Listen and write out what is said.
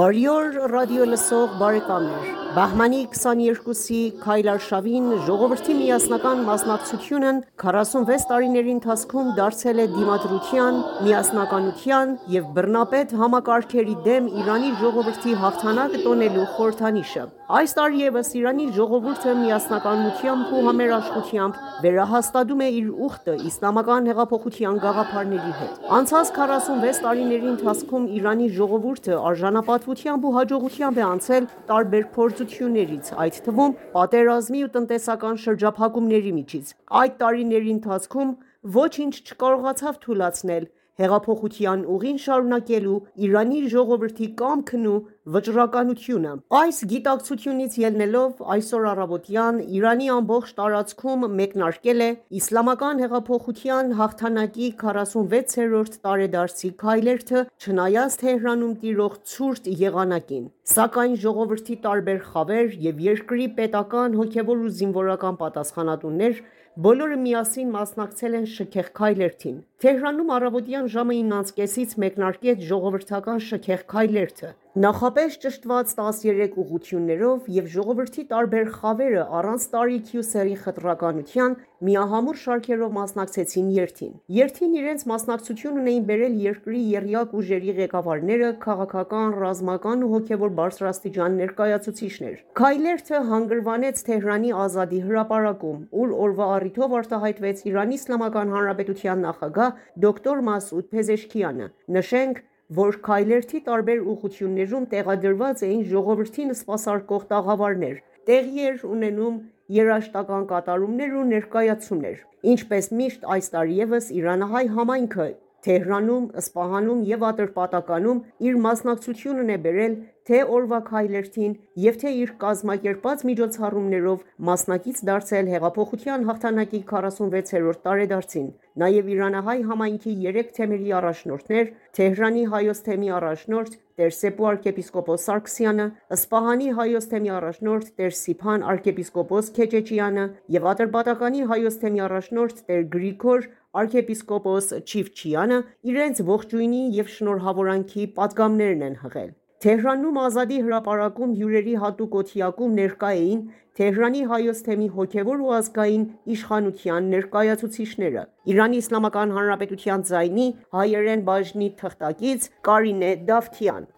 Բարի օր ռադիո լսող բարեկամներ, Բահմանի 22-ի քայլարշավին ժողովրդի միասնական մասնակցությունն 46 տարիների ընթացքում դարձել է դիմադրության, միասնականության և բռնապետ համակարգերի դեմ Իրանի ժողովրդի հաղթանակը տոնելու խորհրդանիշը։ Այս տարի ևս Իրանի ժողովուրդը միասնականությամբ ու համերաշխությամբ վերահաստատում է իր ուխտը իսլամական հեղափոխության գաղափարների հետ։ Անցած 46 տարիների ընթացքում Իրանի ժողովուրդը արժանապատվությամբ ու հաջողությամբ է անցել տարբեր փորձություններից, այդ թվում պատերազմի ու տնտեսական շրջափակումների միջից։ Այդ տարիների ընթացքում ոչինչ չկարողացավ թուլացնել հեղափոխության ուղին շարունակելու Իրանի ժողովրդի կամքն ու վճռականությունը։ Այս գիտակցությունից ելնելով այսօր առավոտյան Իրանի ամբողջ տարածքում մեկնարկել է Իսլամական հեղափոխության հաղթանակի 46-րդ տարեդարձի քայլերթը, չնայած Թեհրանում տիրող ցուրտ եղանակին։ Սակայն ժողովրդի տարբեր խավեր և երկրի պետական, հոգևոր ու զինվորական պատասխանատուներ բոլորը միասին մասնակցել են շքեղ քայլերթին։ Թեհրանում առավոտյան ժամը 9:30-ից մեկնարկեց ժողովրդական շքեղ քայլերթը։ Նախապես ճշտված 13 ուղղություններով և ժողովրդի տարբեր խավերը առանց տարիքի ու սեռի խտրականության միահամուռ շարքերով մասնակցեցին երթին։ Երթին իրենց մասնակցություն ունեին բերել երկրի եռյակ ուժերի ղեկավարները, քաղաքական, ռազմական ու հոգևոր բարձրաստիճան ներկայացուցիչներ։ Քայլերթը հանգրվանեց Թեհրանի Ազադի հրապարակում, ուր օրվա առիթով արտահայտվեց Իրանի Իսլամական Հանրապետության նախագահ դոկտոր Մասուդ Փեզեշքիանը։ Նշենք, որ քայլերթի տարբեր ուղղություններում տեղադրված էին ժողովրդին սպասարկող տաղավարներ, տեղի էր ունենում երաժշտական կատարումներ ու ներկայացումներ։ Ինչպես միշտ այս տարի ևս իրանահայ համայնքը Թեհրանում, Սպահանում և Ատրպատականում իր մասնակցությունն է բերել թե օրվա քայլերթին և թե իր կազմակերպած միջոցառումներով մասնակից դարձել հեղափոխության հաղթանակի 46-րդ տարեդարձին։ Նաև իրանահայ համայնքի 3 թեմերի առաջնորդներ՝ Թեհրանի Հայոց թեմի առաջնորդ տեր Սեփու arczepiskopos Սարգսյանը, Սպահանի Հայոց թեմի առաջնորդ տեր Սիփան arczepiskopos Քեչեչյանը և Ատրպատականի Հայոց թեմի առաջնորդ տեր Գրիգոր arczepiskopos Չիֆչյանը իրենց ողջույնի և շնորհավորանքի պատգամներն են հղել։ Թեհրանում Ազադի հրապարակում հյուրերի հատուկ օդիակում ներկա էին Թեհրանի Հայոց թեմի հոգևոր ու ազգային իշխանության ներկայացուցիչները։ Իրանի Իսլամական Հանրապետության ձայնի հայերեն բաժնի թղթակից Կարինե Դավթյան։